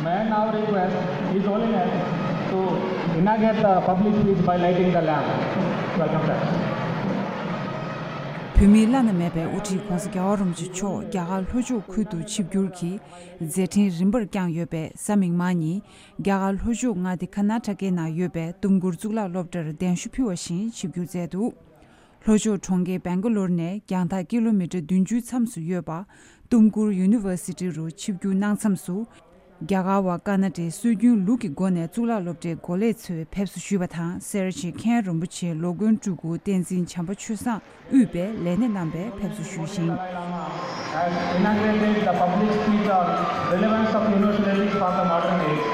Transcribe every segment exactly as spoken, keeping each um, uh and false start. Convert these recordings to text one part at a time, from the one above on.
May I now request His Holiness to inaugurate the public speech by lighting the lamp. Welcome, sir. བོད་མིའི་བླ་ན་མེད་པའི་དབུ་ཁྲིད་༧གོང་ས་༧རྒྱལ་བ་རིན་པོ་ཆེ་མཆོག་རྒྱ་གར་ལྷོ་ཕྱོགས་ཁུལ་དུ་ཆིབས་བསྒྱུར་གྱིས་མཛད་འཕྲིན་རིམ་པར་བསྐྱངས་ཡོད་པས། གཟའ་མིག་དམར་ཉིན་རྒྱ་གར་ལྷོ་ཕྱོགས་མངའ་སྡེ་ཀར་ནཱ་ཊ་ཀའི་ནང་ཡོད་པའི་ཏུམ་ཀུར་གཙུག་ལག་སློབ་གྲྭར་གདན་ཞུ་ཕུལ་བ་བཞིན་ཆིབས་བསྒྱུར་མཛད་འདུག་ལྷོ་ཕྱོགས་གྲོང་ཁྱེར་སྦེང་ག་ལོར་ནས་རྒྱང་ཐག་ཀི་ལོ་མི་ཊར་བདུན་ཅུའི་མཚམས་སུ་ཡོད་པ་ཏུམ་ཀུར་ཡུ་ནི་ཝར་སི་ཊི་རུ་ཆིབས་བསྒྱུར་གནང་མཚམས་སུ། རྒྱ་གར་བ་ཀར་ནཱ་ཊའི་སྲོལ་རྒྱུན་ལུགས་ཀྱི་སྒོ་ནས་གཙུག་ལག་སློབ་གྲྭའི་འགོ་ལས་ཚོས་ཕེབས་བསུ་ཞུས་པ་དང་། སེ་ར་བྱེས་མཁན་རིན་པོ་ཆེ་ལོ་མགོན་སྤྲུལ་སྐུ་བསྟན་འཛིན་བྱམས་པ་ཆོས་བཟང་དབུས་པའི་ལས་སྣེ་རྣམ་པས་ཕེབས་བསུ་ཞུས་ཤིང་། Has inaugurated the public speech on relevance of universality for the modern age.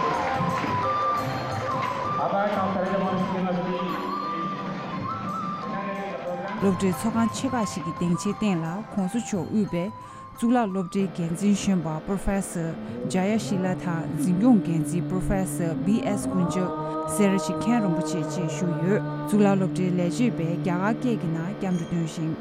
Abhay from Sahaja Monastical University. སློབ་གྲྭའི་ཚོགས་ཁང་ཆེ་ཁག་ཞིག་གི་སྡིངས་ཆའི་སྟེང་ལ་༧གོང་ས་མཆོག་དབུས་པའི་གཙུག་ལག་སློབ་གྲྭའི་འགན་འཛིན་གཞོན་པ་པོ་རོ་ཕེ་སར་ཇ་ཡ་ཤི་ལ་དང་། འཛིན་སྐྱོང་འགན་འཛིན་པོ་རོ་ཕེ་སར་བི་ཨེས་ཀུན་ཇག་སེ་ར་བྱེས་མཁན་རིན་པོ་ཆེ་བཅས་བཞུགས་ཡོད། གཙུག་ལག་སློབ་གྲྭའི་ལས་བྱེད་པས་རྒྱ་གར་སྐད་ཀྱི་ནང་སྐྱབས་འགྲོ་འདོན་ཞིང་།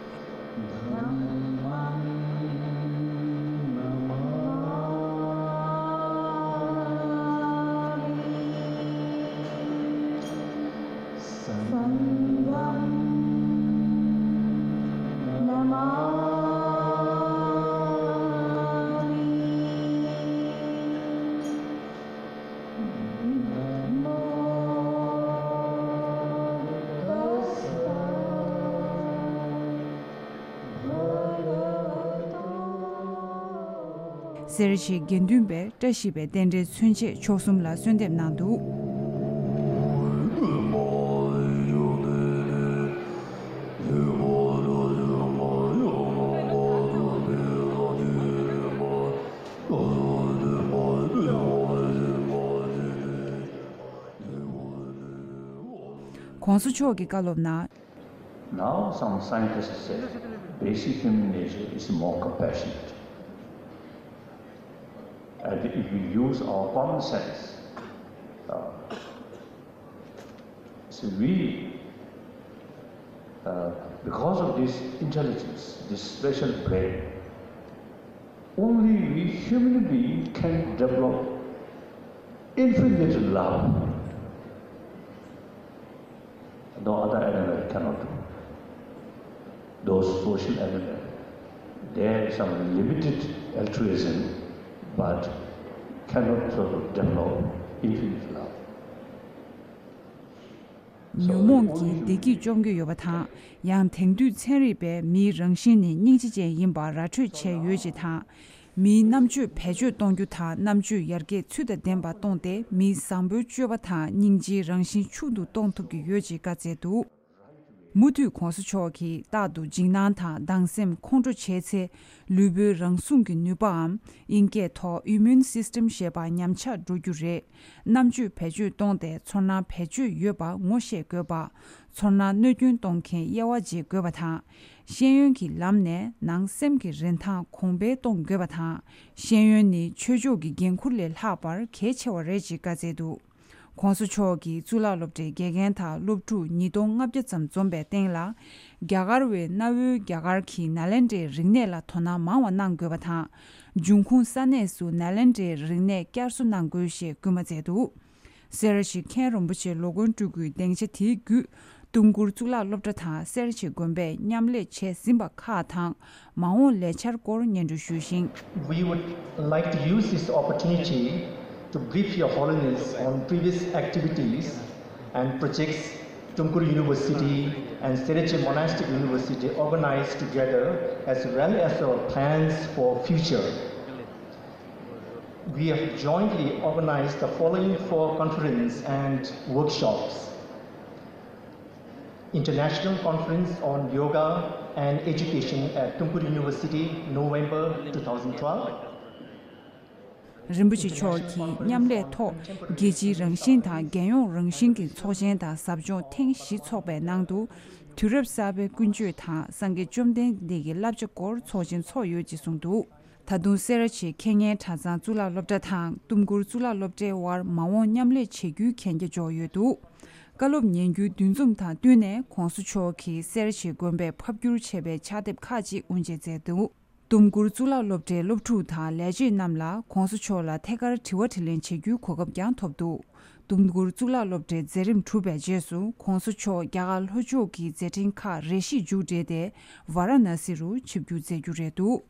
སེ་ར་བྱེས་དགེ་འདུན་པས་བཀྲ་ཤིས་པའི་རྟེན་འབྲེལ་མཚོན་ཆས་མཆོག་གསུམ་ལ་གསོལ་འདེབས་གནང་འདུག༧གོང་ས་མཆོག་གི་བཀའ་སློབ་ནང་། Now, some scientists say basic human nature is more compassionate. And if we use our common sense, uh, so we, uh, because of this intelligence, this special brain, only we human being can develop infinite love. No other animal cannot do. Those social animals, they have some limited altruism, but cannot sort of develop infinite love. ཉོན་མོངས་ཀྱིིs་བདེ་སྐྱིད་བཅོམ་རྒྱུ་ཡོད་པ་དང་། ཡང་དེང་དུས་ཚན་རིག་པས་མིའི་རང་བཞིན་ནི་སྙིང་རྗེ་ཅན་ཡིན་པ་ར་འཕྲོད་བྱས་ཡོད་ཅེས་དང་། མིའི་རྣམ་དཔྱོད་བེད་སྤྱོད་གཏོང་རྒྱུ་དང་རྣམ་དཔྱོད་ཡར་རྒྱས་ཚུལ་དང་ལྡན་པ་གཏོང་སྟེ། མིའི་བཟང་པོའི་སྤྱོད་པ་དང་སྙིང་རྗེའི་རང་བཞིན་ཕྱུག་ཏུ་གཏོང་ཐུབ་ཀྱི་ཡོད་ཅེས་བཀའ་སྩལ་འདུག་མུ་མཐུད་༧གོང་ས་མཆོག་གིས་རྟག་ཏུ་འཇིགས་སྣང་དང་སྡང་སེམས་ཁོང་ཁྲོ་བྱས་ཚེ། ལུས་པོའི་རང་སྲུང་གི་ནུས་པའམ། ཨིན་སྐད་ཐོག་Immune System ཞེས་པ་ཉམས་ཆག་འགྲོ་རྒྱུ་རེད། རྣམ་དཔྱོད་བེད་སྤྱོད་གཏོང་སྟེ་ཚོར་སྣང་བེད་སྤྱོད་ཡོད་པ་ངོ་ཤེས་དགོས་པ། ཚོར་སྣང་གནོད་སྐྱོན་གཏོང་མཁན་དབྱེ་བ་འབྱེད་དགོས་པ་དང་། ཤེས་ཡོན་གྱི་ལམ་ནས་ནང་སེམས་ཀྱི་རིན་ཐང་གོང་འཕེལ་གཏོང་དགོས་པ་དང་། ཤེས་ཡོན་ནི་ཆོས་ཕྱོགས་ཀྱི་འགན་ཁུར་ལས་ལྷག་པར་གལ་ཆེ་བ་རེད་ཅེས་བཀའ་སྩལ་འདུག ༸གོང་ས་མཆོག་གིས་གཙུག་ལག་སློབ་གྲྭའི་དགེ་རྒན་དང་སློབ་ཕྲུག་ཉིས་སྟོང་ལྔ་བརྒྱ་ཙམ་འཛོམས་པའི་སྟེང་ལ། རྒྱ་གར་བས་གནའ་བོའི་རྒྱ་གར་གྱི་ནཱ་ལེནྡྲའི་རིག་གནས་ལ་དོ་སྣང་མང་བ་གནང་དགོས་པ་དང་། འབྱུང་ཁུངས་ས་གནས་སུ་ནཱ་ལེནྡྲའི་རིག་གནས་བསྐྱར་གསོ་གནང་དགོས་ཞེས་སྐུལ་མ་མཛད་འདུག་སེ་ར་བྱེས་མཁན་རིན་པོ་ཆེ་ལོ་མགོན་སྤྲུལ་སྐུའི་སྡིངས་ཆ་དེའི་བརྒྱུད། ཏུམ་ཀུར་གཙུག་ལག་སློབ་གྲྭ་དང་སེ་ར་བྱེས་དགོན་པས་མཉམ་ལས་བྱས་ཟིན་པ་ཁག་དང་། མ་འོངས་ལས་འཆར་སྐོར་སྙན་སྒྲོན་ཞུས་ཤིང་། We would like to use this opportunity to brief Your Holiness on previous activities and projects Tumkur University and Sereche Monastic University organized together, as well as our plans for future. We have jointly organized the following four conferences and workshops. International Conference on Yoga and Education at Tumkur University, November two thousand twelve. རིན་པོ་ཆེ་མཆོག་གིས་མཉམ་ལས་ཐོག་རྒྱལ་སྤྱིའི་རང་བཞིན་དང་རྒྱལ་ཡོངས་རང་བཞིན་གྱི་ཚོགས་ཆེན་དང་ཟབ་སྦྱོང་ཐེངས་བཞི་འཚོགས་པའི་ནང་དུ། དུས་རབས་གསར་པའི་ཀུན་སྤྱོད་དང་སངས་རྒྱས་བཅོམ་ལྡན་འདས་ཀྱི་བསླབ་བྱ་སྐོར་ཚོགས་ཆེན་འཚོགས་ཡོད་ཅེས་གསུངས་འདུག་ད་དུང་སེ་ར་བྱེས་ཁེ་ཉན་གྲྭ་ཚང་གཙུག་ལག་སློབ་གྲྭ་དང་ཏུམ་ཀུར་གཙུག་ལག་སློབ་གྲྭའི་དབར་མ་འོངས་མཉམ་ལས་བྱེད་རྒྱུའི་གན་རྒྱ་འཇོག་ཡོད་འདུག་བཀའ་སློབ་ཉན་རྒྱུའི་འདུ་འཛོམས་དང་བསྟུན་ནས་༸གོང་ས་མཆོག་གིས་སེ་ར་བྱེས་དགོན་པས་ཕབ་བསྒྱུར་བྱས་པའི་ཕྱག་དེབ་ཁག་ཅིག་དབུ་འབྱེད་མཛད་འདུག་ཏུམ་ཀུར་གཙུག་ལག་སློབ་གྲྭའི་སློབ་ཕྲུག་དང་ལས་བྱེད་རྣམས་ལ་༸གོང་ས་མཆོག་ལ་ཐད་ཀར་དྲི་བ་དྲིས་ལན་བྱེད་རྒྱུའི་གོ་སྐབས་ཀྱང་ཐོབ་འདུག་ཏུམ་ཀུར་གཙུག་ལག་སློབ་གྲྭའི་མཛད་རིམ་གྲུབ་པའི་རྗེས་སུ་༸གོང་ས་མཆོག་རྒྱ་གར་ལྷོ་ཕྱོགས་ཀྱི་མཛད་འཕྲིན་ཁག་རེ་ཞིག་མཇུག་སྒྲིལ་ཏེ་ཝཱ་ར་ཎ་སི་རུ་ཆིབས་བསྒྱུར་མཛད་རྒྱུ་རེད་འདུག